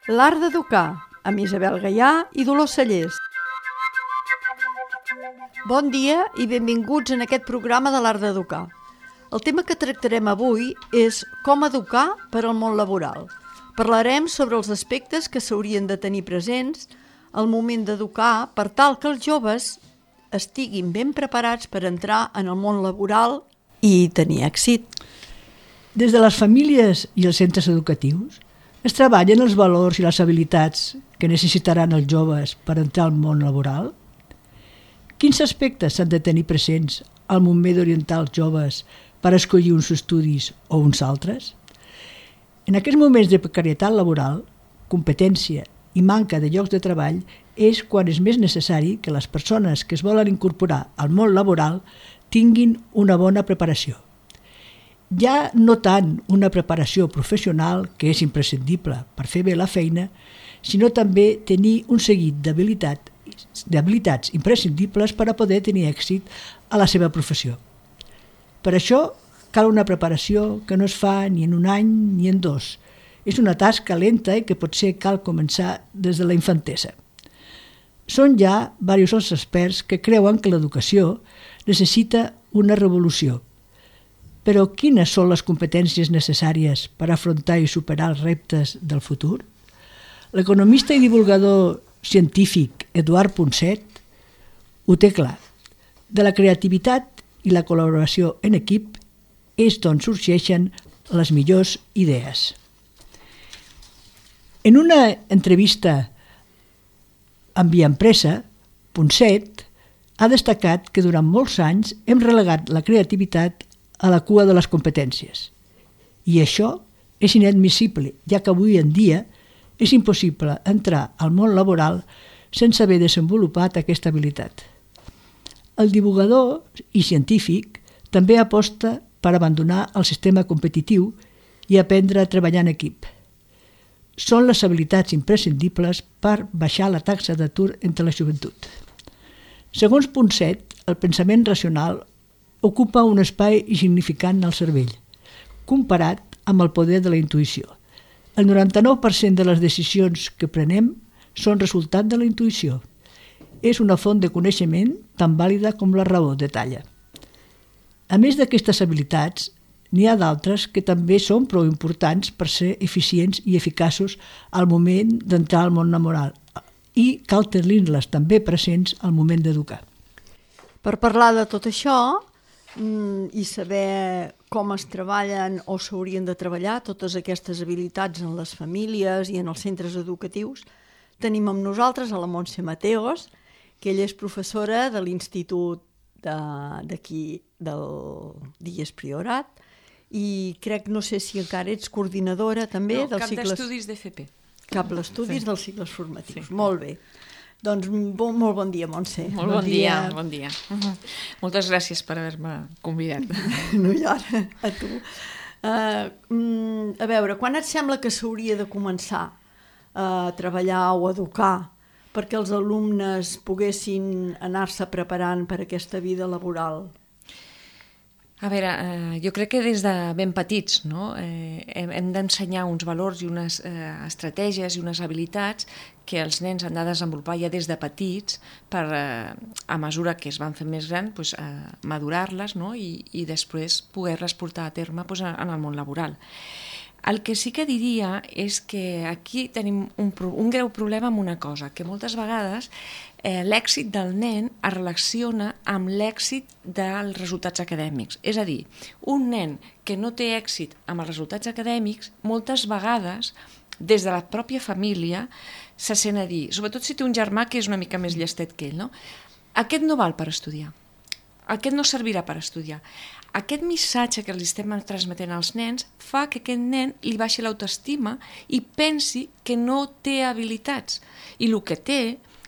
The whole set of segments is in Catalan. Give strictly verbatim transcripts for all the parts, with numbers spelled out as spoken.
L'art d'educar, amb Isabel Gaià i Dolors Cellers. Bon dia i benvinguts en aquest programa de l'art d'educar. El tema que tractarem avui és com educar per al món laboral. Parlarem sobre els aspectes que s'haurien de tenir presents al moment d'educar per tal que els joves estiguin ben preparats per entrar en el món laboral i tenir èxit. Des de les famílies i els centres educatius es treballen els valors i les habilitats que necessitaran els joves per entrar al món laboral? Quins aspectes s'han de tenir presents al moment d'orientar els joves per escollir uns estudis o uns altres? En aquests moments de precarietat laboral, competència i manca de llocs de treball és quan és més necessari que les persones que es volen incorporar al món laboral tinguin una bona preparació. Ja no tant una preparació professional, que és imprescindible per fer bé la feina, sinó també tenir un seguit d'habilitats d'habilitats imprescindibles per a poder tenir èxit a la seva professió. Per això cal una preparació que no es fa ni en un any ni en dos. És una tasca lenta i que potser cal començar des de la infantesa. Són ja diversos els experts que creuen que l'educació necessita una revolució. Però quines són les competències necessàries per afrontar i superar els reptes del futur? L'economista i divulgador científic Eduard Punset ho té clar. De la creativitat i la col·laboració en equip és d'on sorgeixen les millors idees. En una entrevista amb Via Empresa, Punset ha destacat que durant molts anys hem relegat la creativitat a la cua de les competències. I això és inadmissible, ja que avui en dia és impossible entrar al món laboral sense haver desenvolupat aquesta habilitat. El divulgador i científic també aposta per abandonar el sistema competitiu i aprendre a treballar en equip. Són les habilitats imprescindibles per baixar la taxa d'atur entre la joventut. Segons Punset, el pensament racional ocupa un espai insignificant al cervell, comparat amb el poder de la intuïció. El noranta-nou per cent de les decisions que prenem són resultat de la intuïció. És una font de coneixement tan vàlida com la raó, detalla. A més d'aquestes habilitats, n'hi ha d'altres que també són prou importants per ser eficients i eficaços al moment d'entrar al món laboral i cal tenir-les també presents al moment d'educar. Per parlar de tot això i saber com es treballen o s'haurien de treballar totes aquestes habilitats en les famílies i en els centres educatius, tenim amb nosaltres a la Montse Mateos, que ella és professora de l'Institut d'aquí del Dies Priorat i crec, no sé si encara ets coordinadora també no, dels cap cicles... d'estudis d'F P. Cap d'estudis sí. dels cicles formatius, sí. Molt bé. Doncs bon, molt bon dia, Montse. Molt bon, bon dia. dia, bon dia. Uh-huh. Moltes gràcies per haver-me convidat. No hi ha, a tu. Uh, a veure, quan et sembla que s'hauria de començar a treballar o a educar perquè els alumnes poguessin anar-se preparant per aquesta vida laboral? A veure, eh, jo crec que des de ben petits, no? eh, hem, hem d'ensenyar uns valors i unes eh, estratègies i unes habilitats que els nens han de desenvolupar ja des de petits per, eh, a mesura que es van fer més grans, pues, eh, madurar-les, no? I, i després poder-les portar a terme pues, en el món laboral. El que sí que diria és que aquí tenim un, un greu problema amb una cosa, que moltes vegades eh, l'èxit del nen es relaciona amb l'èxit dels resultats acadèmics. És a dir, un nen que no té èxit amb els resultats acadèmics, moltes vegades, des de la pròpia família, se sent a dir, sobretot si té un germà que és una mica més llestet que ell, no? Aquest no val per estudiar, aquest no servirà per estudiar. Aquest missatge que li estem transmetent als nens fa que aquest nen li baixi l'autoestima i pensi que no té habilitats. I el que té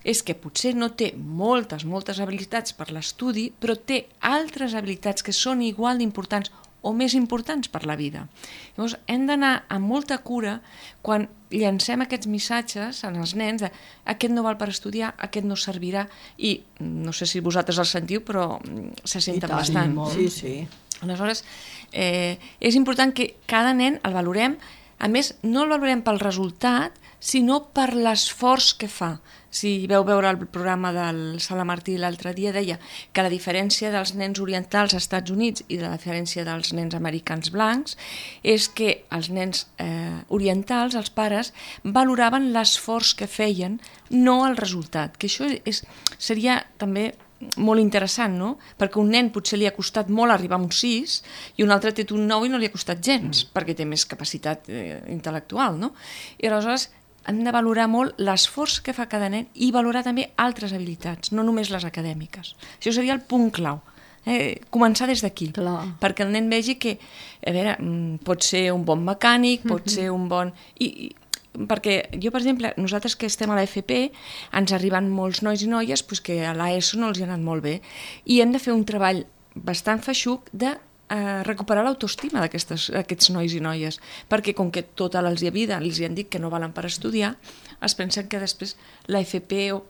és que potser no té moltes, moltes habilitats per l'estudi, però té altres habilitats que són igual d'importants o més importants per la vida. Llavors, hem d'anar amb molta cura quan llancem aquests missatges als nens de aquest no val per estudiar, aquest no servirà, i no sé si vosaltres el sentiu, però se senten tant, bastant. Sí, sí. Aleshores, eh, és important que cada nen el valorem A més, no el valorem pel resultat, sinó per l'esforç que fa. Si veu veure el programa del Sala Martí l'altre dia, deia que la diferència dels nens orientals als Estats Units i de la diferència dels nens americans blancs és que els nens eh, orientals, els pares, valoraven l'esforç que feien, no el resultat. Que això és, seria també molt interessant, no? Perquè un nen potser li ha costat molt arribar a un sis i un altre té un nou i no li ha costat gens, mm. perquè té més capacitat eh, intel·lectual, no? I aleshores hem de valorar molt l'esforç que fa cada nen i valorar també altres habilitats, no només les acadèmiques. Això seria el punt clau. Eh, començar des d'aquí, perquè el nen vegi que, a veure, pot ser un bon mecànic, pot mm-hmm. ser un bon... I, i, perquè jo, per exemple, nosaltres que estem a l'F P, ens arriben molts nois i noies pues, que a l'ESO no els hi ha anat molt bé, i hem de fer un treball bastant feixuc de eh, recuperar l'autoestima d'aquests nois i noies, perquè com que tota la vida els hi han dit que no valen per estudiar, es pensen que després l'F P, o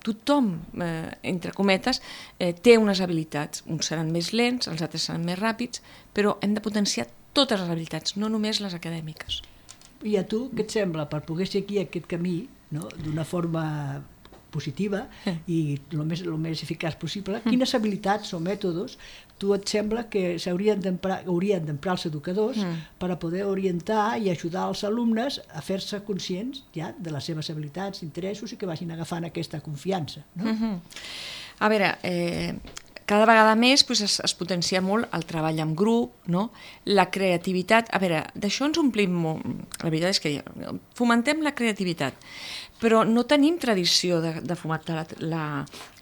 tothom, eh, entre cometes, eh, té unes habilitats. Uns seran més lents, els altres seran més ràpids, però hem de potenciar totes les habilitats, no només les acadèmiques. I a tu, què et sembla, per poder seguir aquest camí, no?, d'una forma positiva i el més, el més eficaç possible, quines habilitats o mètodes tu et sembla que s'haurien d'emprar, haurien d'emprar els educadors mm. per a poder orientar i ajudar els alumnes a fer-se conscients ja de les seves habilitats, interessos i que vagin agafant aquesta confiança, no? Mm-hmm. A veure, eh, cada vegada més pues, es, es potencia molt el treball en grup, no? La creativitat. A veure, d'això ens omplim molt. La veritat és que fomentem la creativitat, però no tenim tradició de, de fomentar la, la,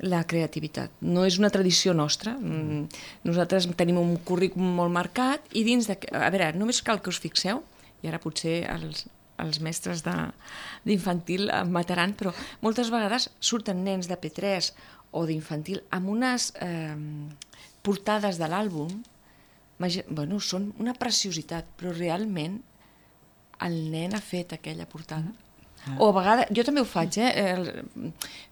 la creativitat. No és una tradició nostra. Nosaltres tenim un currículum molt marcat i dins de... A veure, només cal que us fixeu, i ara potser els, els mestres d'infantil em mataran, però moltes vegades surten nens de P tres o d'infantil amb unes eh, portades de l'àlbum, bueno, són una preciositat, però realment el nen ha fet aquella portada. Ah. O a vegades, jo també ho faig, eh?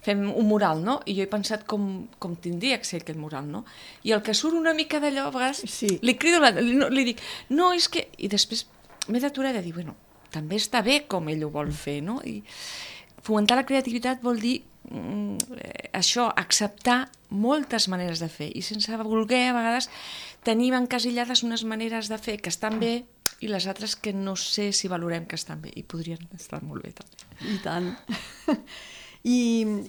Fem un mural, no? I jo he pensat com, com tindria que ser aquell mural, no? I el que surt una mica d'allò, a vegades, sí. li crido, li, li dic, no, és que... I després m'he d'aturar de dir, bueno, també està bé com ell ho vol fer, no? I fomentar la creativitat vol dir això, acceptar moltes maneres de fer i sense voler a vegades tenim encasillades unes maneres de fer que estan bé i les altres que no sé si valorem que estan bé i podrien estar molt bé també. I tant. I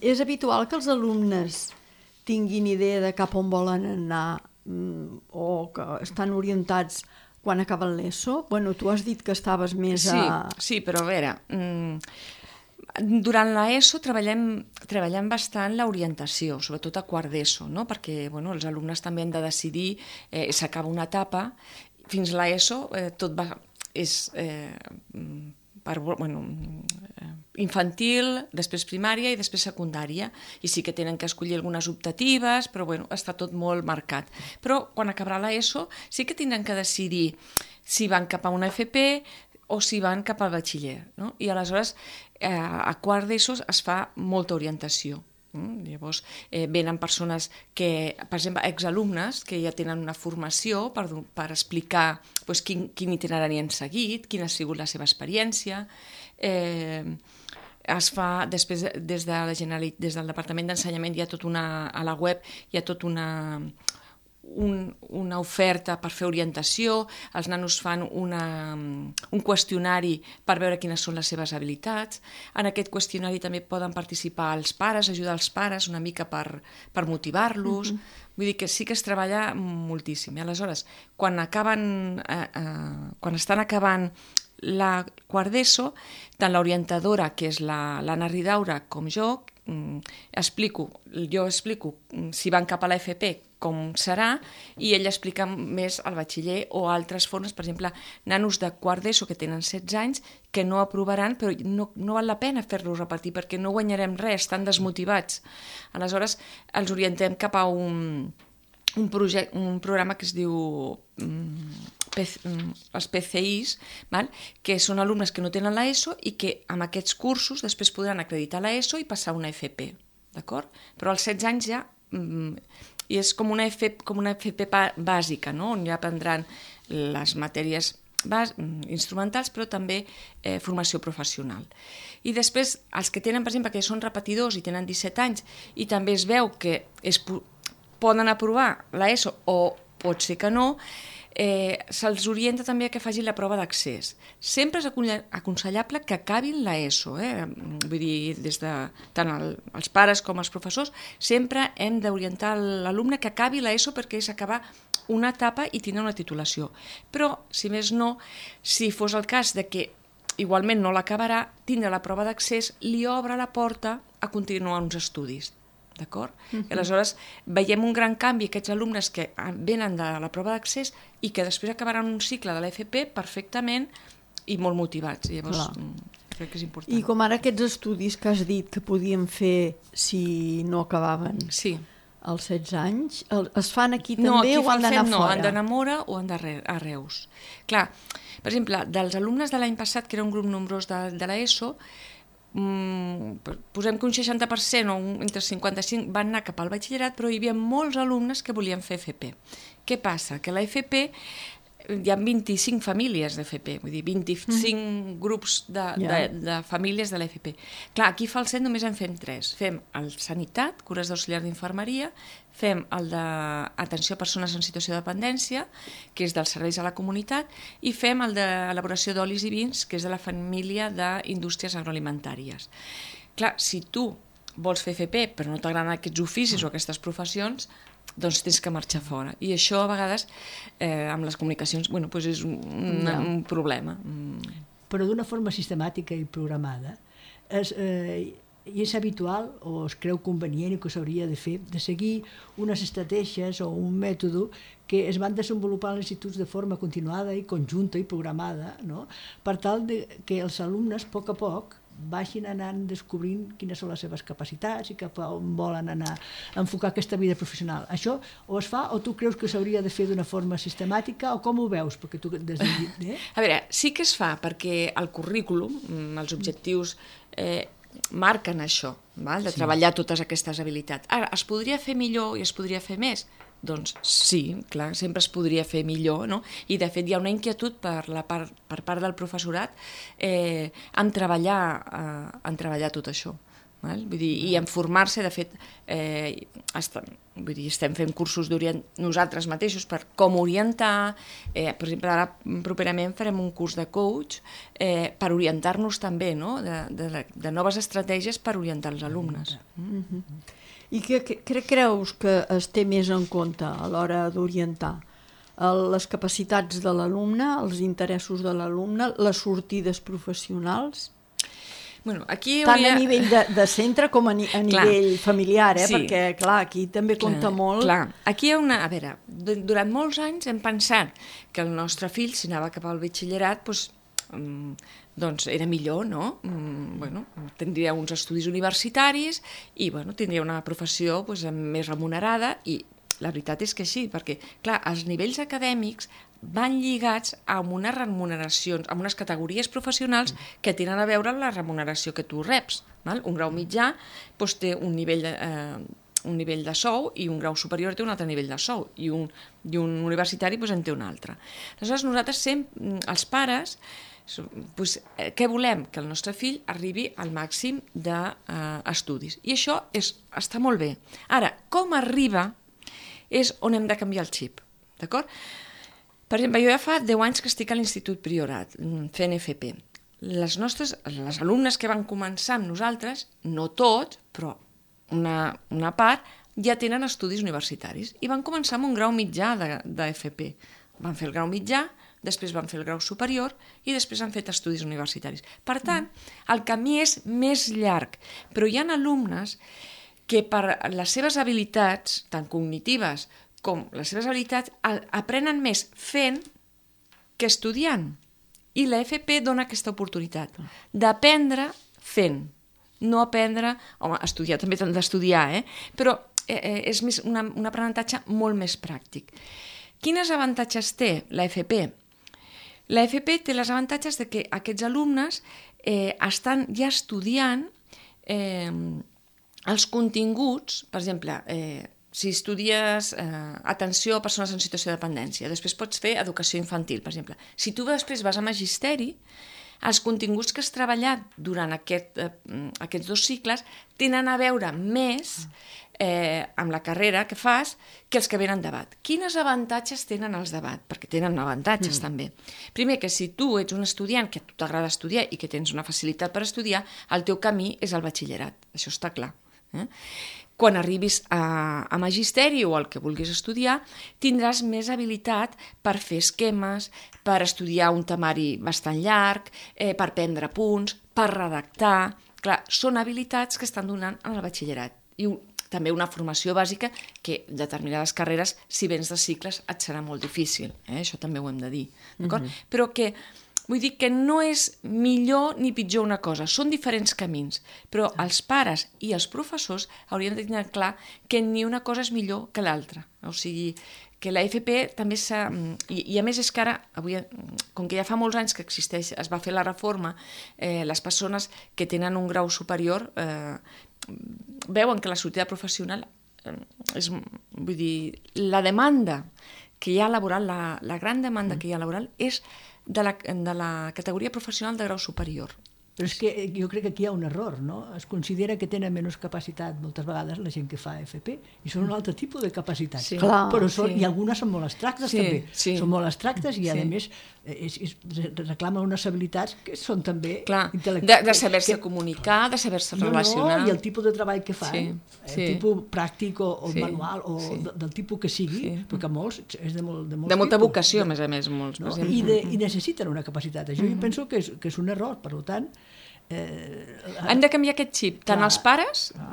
és habitual que els alumnes tinguin idea de cap on volen anar o que estan orientats quan acaben l'ESO? Bueno, tu has dit que estaves més a... Sí, sí, però a veure... Mmm... Durant l'ESO treballem, treballem bastant l'orientació, sobretot a quart d'ESO, no? Perquè bueno, els alumnes també han de decidir, eh, s'acaba una etapa, fins a l'ESO eh, tot va, és eh, per, bueno, infantil, després primària i després secundària, i sí que tenen que escollir algunes optatives, però bueno, està tot molt marcat. Però quan acabarà l'ESO sí que tindran que decidir si van cap a una F P o si van cap al batxiller, no? I aleshores eh, a quart d'ESO es fa molta orientació. Mm? Llavors eh, venen persones que, per exemple, exalumnes que ja tenen una formació per, per explicar pues, quin, quin itinerari han seguit, quina ha sigut la seva experiència. Eh, es fa, després, des, de la Generalitat, des del Departament d'Ensenyament hi ha tot una, a la web hi ha tot una... Un, una oferta per fer orientació, els nanos fan una, un qüestionari per veure quines són les seves habilitats. En aquest qüestionari també poden participar els pares, ajudar els pares una mica per, per motivar-los. Mm-hmm. Vull dir que sí que es treballa moltíssim. I aleshores, quan acaben, eh, eh, quan estan acabant la quart d'ESO, tant l'orientadora, que és l'Anna Ridaura, com jo, mm, explico, jo explico si van cap a l'F P com serà, i ell explica més al batxiller o altres formes, per exemple, nanos de quart d'ESO que tenen setze anys que no aprovaran, però no, no val la pena fer-los repetir perquè no guanyarem res, estan desmotivats. Aleshores, els orientem cap a un, un, projecte, un programa que es diu um, P C, um, els P C Is, val? Que són alumnes que no tenen l'ESO i que amb aquests cursos després podran acreditar l'ESO i passar a una F P, d'acord? Però als setze anys ja... Um, i és com una, F, com una F P bàsica, no? On ja aprendran les matèries bas, instrumentals, però també eh, formació professional. I després, els que tenen, per exemple, que són repetidors i tenen disset anys i també es veu que es poden aprovar l'ESO o pot ser que no, eh, se'ls orienta també a que facin la prova d'accés. Sempre és aconsellable que acabin l'ESO, eh? Vull dir, des de tant el, els pares com els professors, sempre hem d'orientar l'alumne que acabi l'ESO perquè és acabar una etapa i tindre una titulació. Però, si més no, si fos el cas de que igualment no l'acabarà, tindre la prova d'accés li obre la porta a continuar uns estudis. D'acord? Uh-huh. I aleshores veiem un gran canvi aquests alumnes que venen de la prova d'accés i que després acabaran un cicle de l'F P perfectament i molt motivats. I llavors Clar. crec que és important. I com ara aquests estudis que has dit que podíem fer si no acabaven sí. als setze anys, es fan aquí també no, aquí o han d'anar no, fora? Han d'anar a Mora o han d'anar a Reus. Clar, per exemple, dels alumnes de l'any passat, que era un grup nombrós de, de l'ESO, Mm, posem que un seixanta per cent o un, entre cinquanta-cinc van anar cap al batxillerat, però hi havia molts alumnes que volien fer F P. Què passa? Que la F P hi ha vint-i-cinc famílies d'F P, vull dir, vint-i-cinc mm. grups de, yeah. de, de famílies de l'F P. Clar, aquí a Falset només en fem tres. Fem el Sanitat, cures d'auxiliar d'infermeria, fem el d'atenció a persones en situació de dependència, que és dels serveis a la comunitat, i fem el d'elaboració d'olis i vins, que és de la família d'indústries agroalimentàries. Clar, si tu vols fer F P però no t'agraden aquests oficis o aquestes professions, doncs tens que marxar fora. I això a vegades eh, amb les comunicacions bueno, doncs és un, un, no. un problema. Però d'una forma sistemàtica i programada és, eh, i és habitual o es creu convenient i que s'hauria de fer de seguir unes estratègies o un mètode que es van desenvolupar als instituts de forma continuada i conjunta i programada, no? Per tal de que els alumnes a poc a poc vagin anant descobrint quines són les seves capacitats i cap on volen anar a enfocar aquesta vida professional. Això o es fa o tu creus que s'hauria de fer d'una forma sistemàtica o com ho veus? Perquè tu des de... eh? A veure, sí que es fa perquè el currículum, els objectius eh, marquen això, val? De sí. treballar totes aquestes habilitats. Ara, es podria fer millor i es podria fer més? Doncs sí, clar, sempre es podria fer millor, no? I de fet hi ha una inquietud per, la part, per part del professorat eh, en, treballar, eh, en treballar tot això. Val? Vull dir, i en formar-se, de fet, eh, estem, vull dir, estem fent cursos nosaltres mateixos per com orientar, eh, per exemple, ara properament farem un curs de coach eh, per orientar-nos també, no? de, de, de noves estratègies per orientar els alumnes. Mm-hmm. I què cre creus que es té més en compte a l'hora d'orientar? Les capacitats de l'alumne, els interessos de l'alumne, les sortides professionals? Bueno, aquí Tant hauria... a nivell de, de centre com a, ni a nivell familiar, eh? Sí. Perquè clar, aquí també compta clar, molt. Clar. Aquí hi ha una... A veure, durant molts anys hem pensat que el nostre fill, si anava cap al batxillerat, doncs, doncs era millor, no? Bueno, tindria uns estudis universitaris i bueno, tindria una professió doncs, més remunerada i la veritat és que sí, perquè clar, els nivells acadèmics van lligats amb unes remuneracions, amb unes categories professionals que tenen a veure amb la remuneració que tu reps. Val? Un grau mitjà doncs, té un nivell de, eh, un nivell de sou i un grau superior té un altre nivell de sou i un, i un universitari doncs, en té un altre. Aleshores nosaltres sempre, els pares, Pues, eh, què volem? Que el nostre fill arribi al màxim d'estudis. Eh, I això és, està molt bé. Ara, com arriba és on hem de canviar el xip. D'acord? Per exemple, jo ja fa deu anys que estic a l'Institut Priorat, fent F P. Les nostres, les alumnes que van començar amb nosaltres, no tots, però una, una part, ja tenen estudis universitaris i van començar amb un grau mitjà de, de F P. Van fer el grau mitjà, després van fer el grau superior i després han fet estudis universitaris. Per tant, el camí és més llarg, però hi ha alumnes que per les seves habilitats, tant cognitives com les seves habilitats, aprenen més fent que estudiant. I la F P dona aquesta oportunitat d'aprendre fent, no aprendre... Home, estudiar també t'han d'estudiar, eh? Però eh, és més una, un aprenentatge molt més pràctic. Quins avantatges té la F P? La F P té els avantatges de que aquests alumnes eh, estan ja estudiant eh, els continguts, per exemple, eh, si estudies eh, atenció a persones en situació de dependència, després pots fer educació infantil, per exemple. Si tu després vas a magisteri, els continguts que has treballat durant aquest, eh, aquests dos cicles tenen a veure més eh, amb la carrera que fas que els que venen debat. Quins avantatges tenen els debat? Perquè tenen avantatges mm. també. Primer, que si tu ets un estudiant que a tu t'agrada estudiar i que tens una facilitat per estudiar, el teu camí és el batxillerat. Això està clar. Eh? Quan arribis a, a magisteri o al que vulguis estudiar, tindràs més habilitat per fer esquemes, per estudiar un temari bastant llarg, eh, per prendre punts, per redactar. Clar, són habilitats que estan donant en el batxillerat. I un, també una formació bàsica que en determinades carreres, si vens de cicles, et serà molt difícil. Eh? Això també ho hem de dir. D'acord? Mm-hmm. Però que... Vull dir que no és millor ni pitjor una cosa, són diferents camins, però els pares i els professors haurien de tenir clar que ni una cosa és millor que l'altra. O sigui, que la F P també s'ha... I, I a més és que ara, avui, com que ja fa molts anys que existeix, es va fer la reforma, eh, les persones que tenen un grau superior eh, veuen que la sortida professional eh, és... Vull dir, la demanda que hi ha laboral, la, la gran demanda que hi ha laboral és de la, de la categoria professional de grau superior. Però és que jo crec que aquí hi ha un error, no? Es considera que tenen menys capacitat moltes vegades la gent que fa F P i són un altre tipus de capacitat. Sí. Clar, però són, sí. i algunes són molt abstractes sí, també. Sí. Són molt abstractes i sí. a més és, és, reclamen unes habilitats que són també Clar, intel·lectuals. De, de saber-se que... comunicar, de saber-se no, relacionar. No, i el tipus de treball que fan, sí. el sí. tipus pràctic o, o sí. manual o sí. de, del tipus que sigui, sí. perquè molts és de, molt, de molts De molta tipus. vocació, a més a més, molts. No? I, de, I necessiten una capacitat. Això mm-hmm. jo penso que és, que és un error, per tant... Eh, han de canviar aquest xip, tant clar, els pares clar.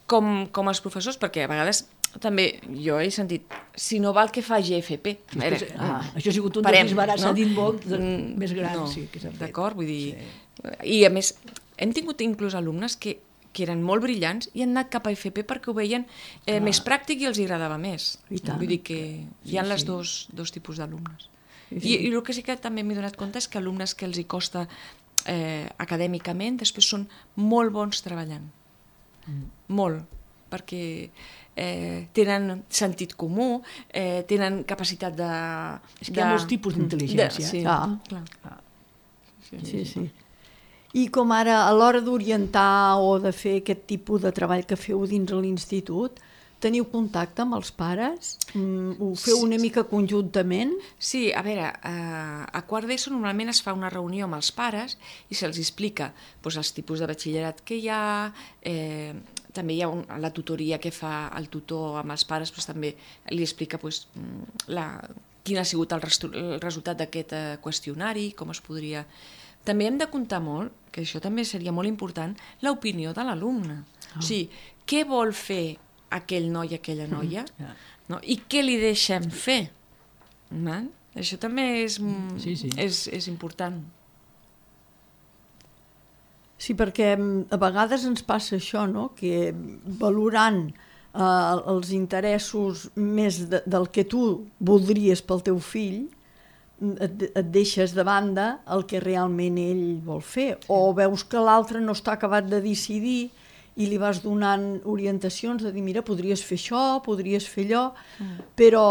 com, com els professors, perquè a vegades també jo he sentit, si no val que faci F P. Veure, és, ah, això ha sigut un parem, dels disbarats, s'ha no? dit molt de, més gran. No, sí, que s'ha fet. D'acord, vull dir... Sí. I a més, hem tingut inclús alumnes que, que eren molt brillants i han anat cap a F P perquè ho veien eh, més pràctic i els agradava més. Vull dir que hi ha sí, les sí. dos, dos tipus d'alumnes. Sí, sí. I, I el que sí que també m'he donat compte és que alumnes que els hi costa Eh, acadèmicament, després són molt bons treballant. Mm. Molt. Perquè eh, tenen sentit comú, eh, tenen capacitat de... És que de... hi ha molts tipus d'intel·ligència. Sí, ah. clar. Ah. Sí, sí, sí. I com ara, a l'hora d'orientar o de fer aquest tipus de treball que feu dins de l'institut, teniu contacte amb els pares? Mm, ho feu una mica conjuntament? Sí, a veure, eh, a quart d'ESO normalment es fa una reunió amb els pares i se'ls explica doncs, els tipus de batxillerat que hi ha, eh, també hi ha un, la tutoria que fa el tutor amb els pares, doncs, també li explica doncs, la, quin ha sigut el, restu, el resultat d'aquest eh, qüestionari, com es podria... També hem de comptar molt, que això també seria molt important, l'opinió de l'alumne. Oh. O sigui, què vol fer aquell noi, aquella noia, mm, yeah. no? I què li deixem fer? No? Això també és, sí, sí. és, és important. Sí, perquè a vegades ens passa això, no? Que valorant eh, els interessos més de, del que tu voldries pel teu fill, et, et deixes de banda el que realment ell vol fer. O veus que l'altre no està acabat de decidir i li vas donant orientacions de dir, mira, podries fer això, podries fer allò, mm. però,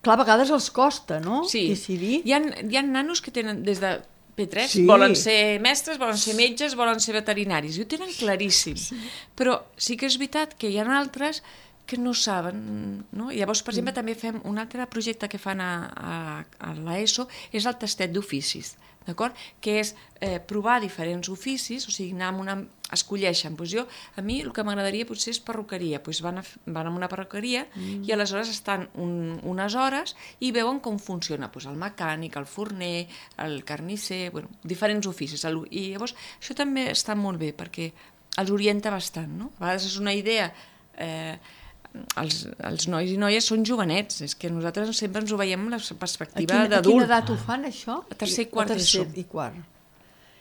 clar, a vegades els costa, no?, sí. decidir. Hi ha, hi ha nanos que tenen, des de P tres, sí. volen ser mestres, volen ser metges, volen ser veterinaris, i ho tenen claríssim. Sí. Però sí que és veritat que hi ha altres que no saben, no? I llavors, per exemple, mm. també fem un altre projecte que fan a, a, a l'ESO, és el tastet d'oficis, d'acord? Que és eh, provar diferents oficis, o sigui, anar amb una... escolleixen, doncs jo, a mi el que m'agradaria potser és perruqueria, doncs van a, van a una perruqueria mm. i aleshores estan un, unes hores i veuen com funciona, doncs el mecànic, el forner, el carnisser, bueno, diferents oficis, i llavors això també està molt bé perquè els orienta bastant, no? A vegades és una idea... Eh, Els, els nois i noies són jovenets, és que nosaltres sempre ens ho veiem amb la perspectiva d'adult. A quina edat ho fan, això? A tercer i quart d'ESO. I quart.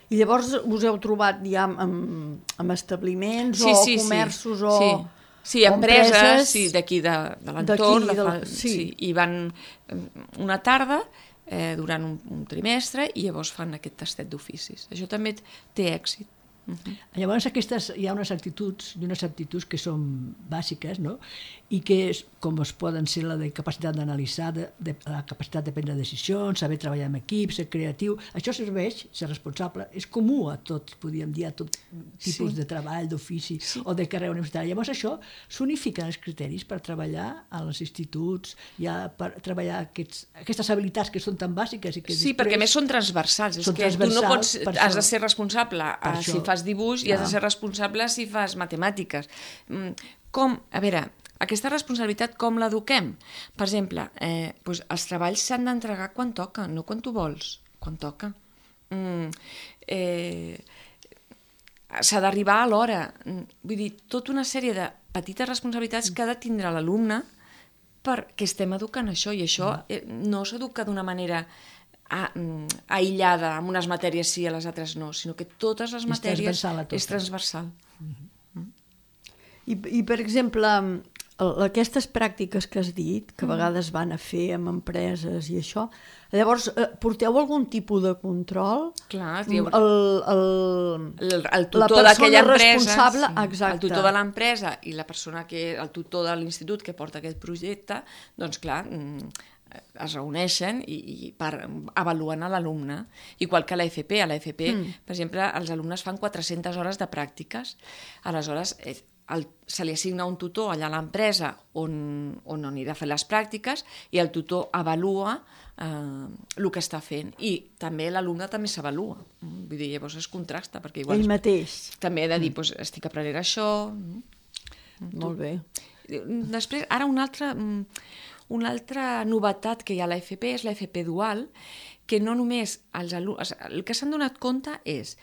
I llavors us heu trobat ja amb, amb establiments sí, o sí, comerços sí. o... Sí, sí empreses, empreses sí, d'aquí de, de l'entorn, de del... sí. sí, i van una tarda eh, durant un, un trimestre i llavors fan aquest tastet d'oficis. Això també té èxit. Uh-huh. Llavors aquestes, hi ha unes actituds i unes aptituds que són bàsiques, no? I que, com es poden ser la de capacitat d'analitzar, de, de, la capacitat de prendre decisions, saber treballar en equip, ser creatiu, això serveix, ser responsable, és comú a tots, podríem dir, a tot tipus sí. de treball, d'ofici sí. o de carrera universitària. Llavors això s'unifiquen els criteris per treballar als instituts, ja per treballar aquests, aquestes habilitats que són tan bàsiques i que sí, després... perquè a més són transversals, és són que tu no pots, has això, de ser responsable a, si fas dibuix i has de ser responsable si fas matemàtiques. Com, a veure, aquesta responsabilitat com l'eduquem? Per exemple, eh, doncs els treballs s'han d'entregar quan toca, no quan tu vols, quan toca. Mm, eh, s'ha d'arribar a l'hora. Vull dir, tota una sèrie de petites responsabilitats que ha de tindre l'alumne perquè estem educant això, i això eh, no s'educa d'una manera aïllada, amb unes matèries sí, a les altres no, sinó que totes les matèries és transversal. És transversal. Mm-hmm. I, I, per exemple, aquestes pràctiques que has dit, que a vegades van a fer amb empreses i això, llavors, porteu algun tipus de control? Clar, diu, el, el, el, el tutor d'aquella empresa, sí, el tutor de l'empresa i la persona que, el tutor de l'institut que porta aquest projecte, doncs clar, es reuneixen i, i per, avaluen a l'alumne, igual que a l'A F P. A l'A F P, mm. per exemple, els alumnes fan quatre-centes hores de pràctiques. Aleshores, el, se li assigna un tutor allà a l'empresa on, on anirà a fer les pràctiques i el tutor avalua eh, el que està fent. I també l'alumne també s'avalua. Vull dir, llavors es contrasta. Perquè igual ell mateix. També he de dir, mm. doncs, estic aprenent això. Molt bé. Després, ara un altre... Una altra novetat que hi ha a l'A F P és l'A F P dual, que no només els alumnes... El que s'han donat compte és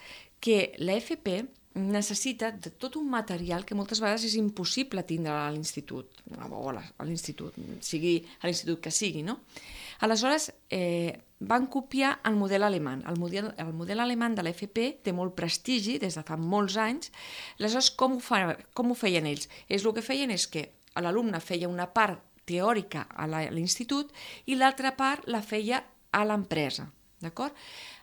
que l'A F P necessita de tot un material que moltes vegades és impossible tindre a l'institut, o a l'institut, sigui a l'institut que sigui, no? Aleshores, eh, van copiar el model alemany. El model, el model alemany de l'A F P té molt prestigi des de fa molts anys. Aleshores, com ho, fa, com ho feien ells? És el que feien és que l'alumne feia una part teòrica a l'institut i l'altra part la feia a l'empresa, d'acord?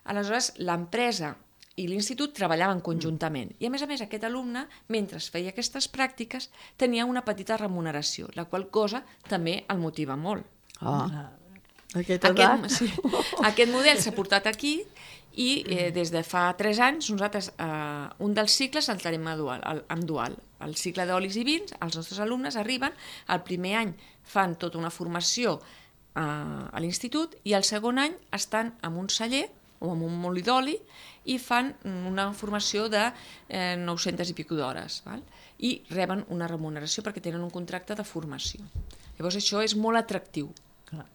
Aleshores, l'empresa i l'institut treballaven conjuntament i, a més a més, aquest alumne, mentre feia aquestes pràctiques, tenia una petita remuneració, la qual cosa també el motiva molt. Ah, aquest, aquest, sí, aquest model s'ha portat aquí i eh, des de fa tres anys nosaltres eh, un dels cicles el tenim dual, el, amb dual. El cicle d'olis i vins, els nostres alumnes arriben, el primer any fan tota una formació eh, a l'institut i el segon any estan en un celler o en un molí d'oli i fan una formació de eh, nou-centes i pico d'hores, val? I reben una remuneració perquè tenen un contracte de formació. Llavors això és molt atractiu. Clar.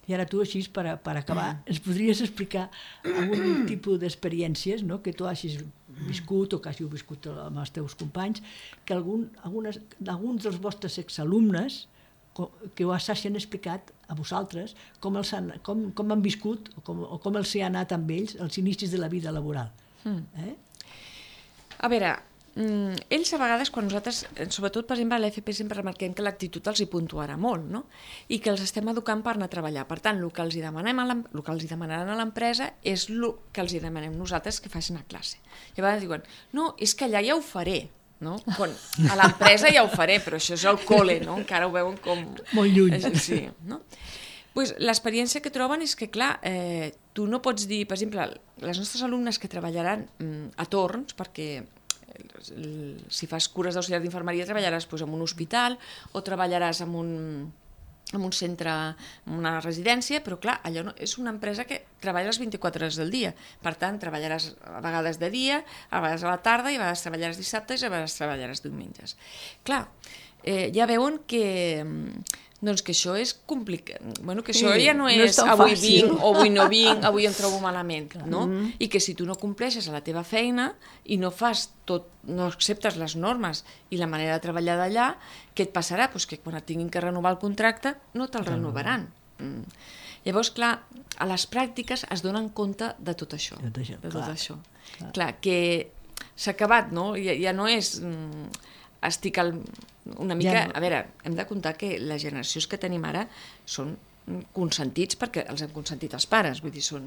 I ara tu, així, per, per acabar, ens podries explicar algun tipus d'experiències, no?, que tu hagis viscut o que hàssiu viscut amb els teus companys, que algun, algunes, alguns dels vostres exalumnes que us hagin explicat a vosaltres com, els han, com, com han viscut o com, o com els hi ha anat amb ells els inicis de la vida laboral. Mm. Eh? A veure, ells a vegades, quan nosaltres, sobretot per exemple a l'A F P, sempre remarquem que l'actitud els hi puntuarà molt, no? I que els estem educant per anar a treballar. Per tant, el que els hi demanem a el que els hi demanaran a l'empresa és el que els hi demanem nosaltres que facin a classe. I a vegades diuen, no, és que allà ja ho faré, no? Quan a l'empresa ja ho faré, però això és el col·le, no? Encara ho veuen com... Molt lluny. Sí, no? Pues l'experiència que troben és que, clar, eh, tu no pots dir, per exemple, les nostres alumnes que treballaran mm, a torns, perquè si fas cures d'auxiliar d'infermeria treballaràs doncs, en un hospital o treballaràs en un, en un centre, en una residència, però clar, allò no, és una empresa que treballa les vint-i-quatre hores del dia. Per tant, treballaràs a vegades de dia, a vegades a la tarda, i a vegades treballaràs dissabtes i a vegades treballaràs diumenges. Clar, eh, ja veuen que... doncs que això és complicat, bueno, que això sí, ja no és, no és avui fàcil. Vinc o avui no vinc, avui em trobo malament, no? Mm. I que si tu no compleixes a la teva feina i no fas tot, no acceptes les normes i la manera de treballar d'allà, què et passarà? Pues que quan et tinguin que renovar el contracte no te'l renovaran. Mm. Llavors, clar, a les pràctiques es donen compte de tot això. De tot això, de tot clar, això. Clar. Clar, que s'ha acabat, no? Ja, ja no és... Mm, estic al, una mica... Ja no. A veure, hem de comptar que les generacions que tenim ara són consentits perquè els han consentit els pares, vull dir, són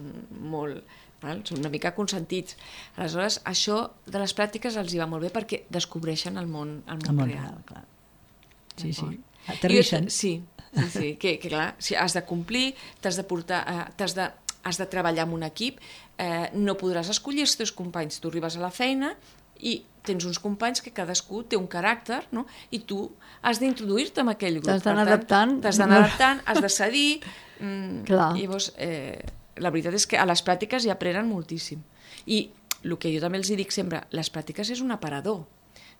molt val? Són una mica consentits. Aleshores, això de les pràctiques els hi va molt bé perquè descobreixen el món, el món, el món real. real clar. Sí, sí. Aterrixen. Jo, sí, sí, sí. Que, que clar, si has de complir, t'has de portar, eh, t'has de, has de treballar amb un equip, eh, no podràs escollir els teus companys. Tu arribes a la feina i tens uns companys que cadascú té un caràcter, no? I tu has d'introduir-te en aquell grup. T'has d'anar adaptant. T'has d'anar adaptant, has de cedir. Mm, Clar. Llavors, eh, la veritat és que a les pràctiques hi aprenen moltíssim. I el que jo també els dic sempre, les pràctiques és un aparador.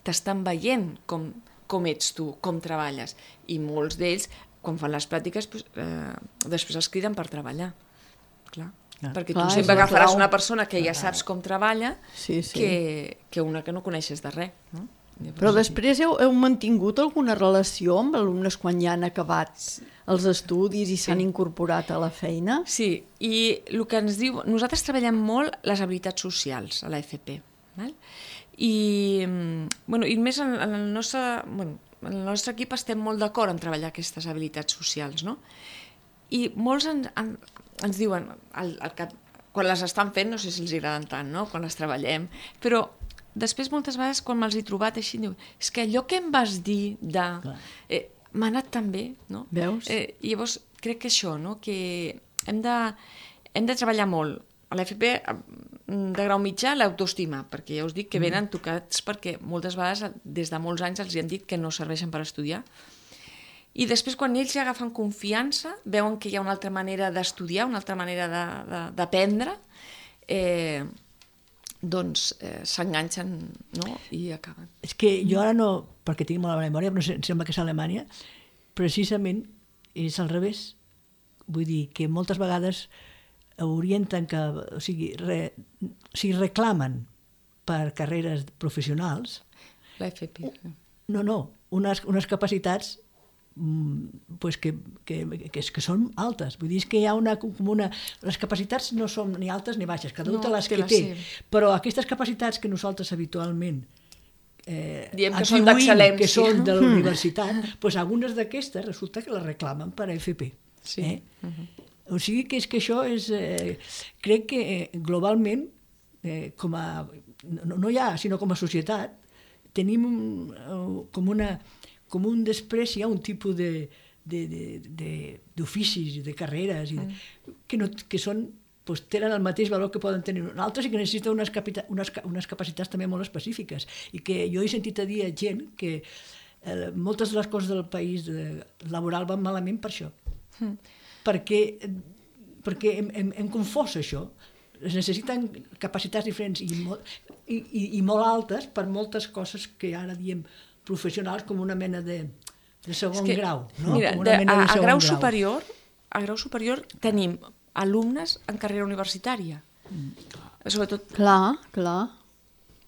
T'estan veient com, com ets tu, com treballes. I molts d'ells, quan fan les pràctiques, pues, eh, després els criden per treballar. Clar. Clar. Perquè tu Clar, sempre agafaràs clau. una persona que ja saps com treballa sí, sí. Que, que una que no coneixes de res. No? Però després heu, heu mantingut alguna relació amb alumnes quan ja han acabat els estudis i s'han sí. incorporat a la feina? Sí, i el que ens diu... Nosaltres treballem molt les habilitats socials a l'A F P. Val? I, bueno, i més en, en, el nostre, bueno, en el nostre equip estem molt d'acord en treballar aquestes habilitats socials, no? I molts en, en, ens diuen, el, el cap, quan les estan fent, no sé si els agraden tant, no? Quan les treballem, però després moltes vegades quan me'ls he trobat així, diu, és que allò que em vas dir de... Eh, m'ha anat tan bé, no? Veus? Eh, i llavors crec que això, no? Que hem de, hem de treballar molt. A l'A F P de grau mitjà l'autoestima, perquè ja us dic que venen tocats perquè moltes vegades des de molts anys els han dit que no serveixen per estudiar. I després, quan ells ja agafen confiança, veuen que hi ha una altra manera d'estudiar, una altra manera d'aprendre, eh, doncs eh, s'enganxen, no? I acaben. És que jo ara no, perquè tinc molt la memòria, però em sembla que és a Alemanya, precisament és al revés. Vull dir que moltes vegades orienten que, o sigui, re, o sigui reclamen per carreres professionals. L'A F P. No, no, unes, unes capacitats pues que, que, que, que són altes. Vull dir que hi ha una, una... Les capacitats no són ni altes ni baixes, cada un no, té les que té. Però aquestes capacitats que nosaltres habitualment eh, diem que són d'excel·lència, que són de la universitat, doncs algunes d'aquestes resulta que les reclamen per a F P. Sí. Eh? Uh-huh. O sigui que és que això és... Eh, crec que eh, globalment, eh, com a... No, no ja, sinó com a societat, tenim eh, com una... com un després hi ha un tipus de, de, de, de, d'oficis, de carreres, i de, mm. que, no, que són, doncs, tenen el mateix valor que poden tenir altres i que necessiten unes, capita, unes, unes capacitats també molt específiques. I que jo he sentit a dir a gent que eh, moltes de les coses del país de, laboral van malament per això. Mm. Perquè, perquè hem, hem, hem confós això. Es necessiten capacitats diferents i molt, i, i, i molt altes per moltes coses que ara diem professionals com una mena de, de segon que, grau. No? Mira, com una de, mena de a, a, grau grau. Superior, a grau superior tenim alumnes en carrera universitària. Mm. Sobretot, clar, clar.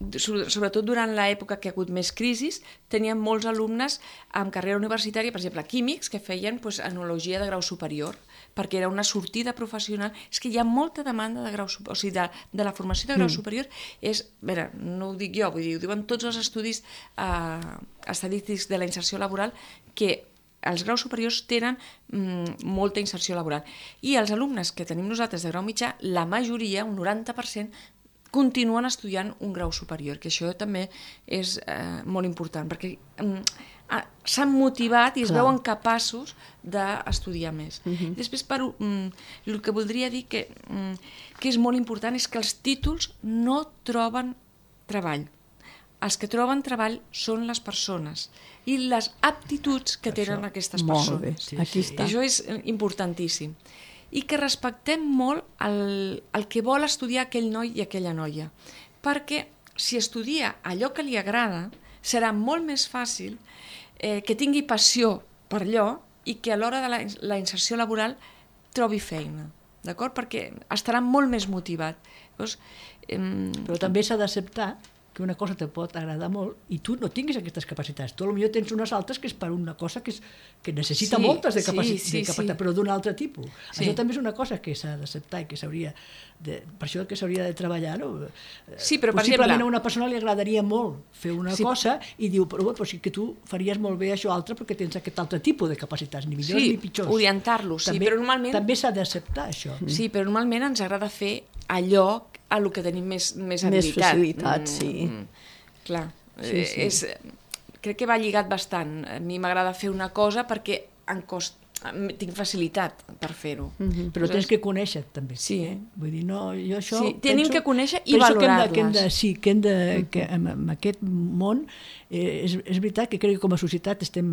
Sobretot durant l'època que hi ha hagut més crisis, teníem molts alumnes en carrera universitària, per exemple, químics, que feien pues, enologia de grau superior, perquè era una sortida professional. És que hi ha molta demanda de grau superior, o sigui, de, de la formació de grau mm. superior. És, a veure, no ho dic jo, vull dir, ho diuen tots els estudis eh, estadístics de la inserció laboral, que els graus superiors tenen mm, molta inserció laboral. I els alumnes que tenim nosaltres de grau mitjà, la majoria, un noranta per cent, continuen estudiant un grau superior, que això també és eh, molt important, perquè eh, s'han motivat i es Clar. veuen capaços d'estudiar més. Uh-huh. Després, per, um, el que voldria dir que, um, que és molt important és que els títols no troben treball. Els que troben treball són les persones i les aptituds que tenen això. Aquestes persones. Molt bé, sí, aquí està. Això és importantíssim. I que respectem molt el, el que vol estudiar aquell noi i aquella noia. Perquè si estudia allò que li agrada, serà molt més fàcil eh, que tingui passió per allò i que a l'hora de la, la inserció laboral trobi feina. D'acord? Perquè estarà molt més motivat. Llavors, eh, Però també s'ha d'acceptar que una cosa te pot agradar molt i tu no tinguis aquestes capacitats. Tu potser tens unes altres que és per una cosa que, és, que necessita sí, moltes de, capaci sí, sí, de capacitat, sí. però d'un altre tipus. Sí. Això també és una cosa que s'ha d'acceptar i que s'hauria de, per això que s'hauria de treballar. No? Sí, però, possiblement per exemple, a una persona li agradaria molt fer una sí. cosa i diu, però, però sí que tu faries molt bé això altre perquè tens aquest altre tipus de capacitats, ni millors sí, ni pitjors. orientar-los, sí, també, però normalment... També s'ha d'acceptar això. Sí, però normalment ens agrada fer allò a lo que tenim més, més habilitat. Més facilitat, mm, sí. Mm, clar, sí, sí. És, crec que va lligat bastant. A mi m'agrada fer una cosa perquè em costa, tinc facilitat per fer-ho. Mm-hmm. Però tens que conèixer també. Sí. Eh? Vull dir, no, jo això sí, tenim penso, que conèixer i valorar-les. valorar-les. Que de, sí, que hem de, que en, en aquest món eh, és, és veritat que crec que com a societat estem,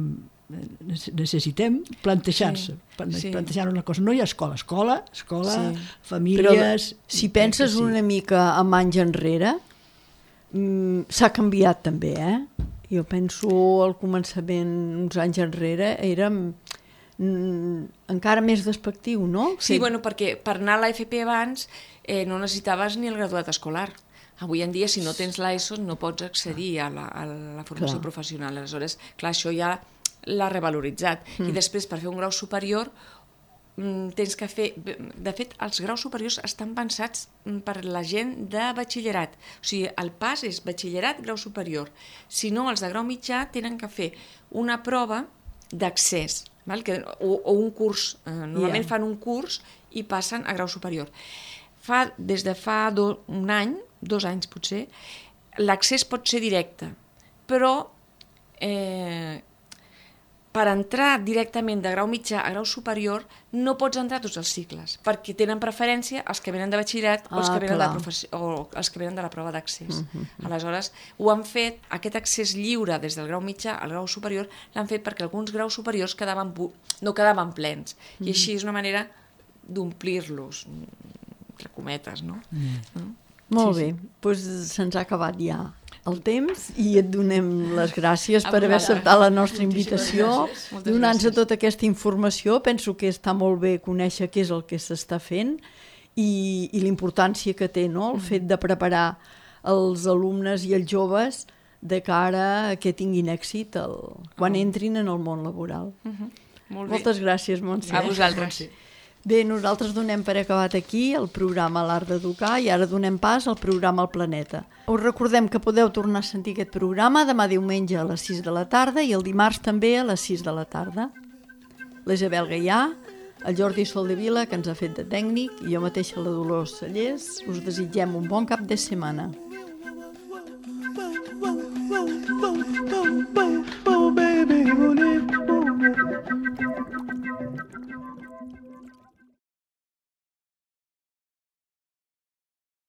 necessitem plantejar-se, sí, sí. plantejar una cosa. No hi ha escola, escola, escola, sí. famílies... Però si penses sí. una mica amb anys enrere, mm, s'ha canviat també, eh? Jo penso al començament, uns anys enrere, érem encara més despectiu, no? Sí, sí, bueno, perquè per anar a l'A F P abans eh, no necessitaves ni el graduat escolar. Avui en dia, si no tens l'ESO, no pots accedir a la, a la formació clar. professional. Aleshores, clar, això ja l'ha revaloritzat. Mm. I després, per fer un grau superior, tens que fer... De fet, els graus superiors estan pensats per la gent de batxillerat. O sigui, el pas és batxillerat, grau superior. Si no, els de grau mitjà tenen que fer una prova d'accés, val? Que, o, o un curs. Eh, normalment yeah. fan un curs i passen a grau superior. Fa, des de fa do, un any, dos anys potser, l'accés pot ser directe, però eh, per entrar directament de grau mitjà a grau superior no pots entrar tots els cicles, perquè tenen preferència els que venen de batxillerat ah, o, els que venen de professió, o els que venen de la prova d'accés. Uh -huh. Aleshores, ho han fet, aquest accés lliure des del grau mitjà al grau superior, l'han fet perquè alguns graus superiors quedaven, no quedaven plens, uh -huh. i així és una manera d'omplir-los, entre cometes, no? Uh -huh. no? Molt sí, bé, sí. doncs se'ns ha acabat ja el temps i et donem les gràcies per haver acceptat la nostra invitació, donant-nos tota aquesta informació. Penso que està molt bé conèixer què és el que s'està fent i, i l'importància que té, no? El fet de preparar els alumnes i els joves de cara a que tinguin èxit el, quan entrin en el món laboral. Uh-huh. Molt Moltes gràcies, Montse. A vosaltres. Bé, nosaltres donem per acabat aquí el programa L'Art d'Educar i ara donem pas al programa El Planeta. Us recordem que podeu tornar a sentir aquest programa demà diumenge a les sis de la tarda i el dimarts també a les sis de la tarda. La Isabel Gaià, el Jordi Soldevila, que ens ha fet de tècnic, i jo mateixa, la Dolors Cellers, us desitgem un bon cap de setmana.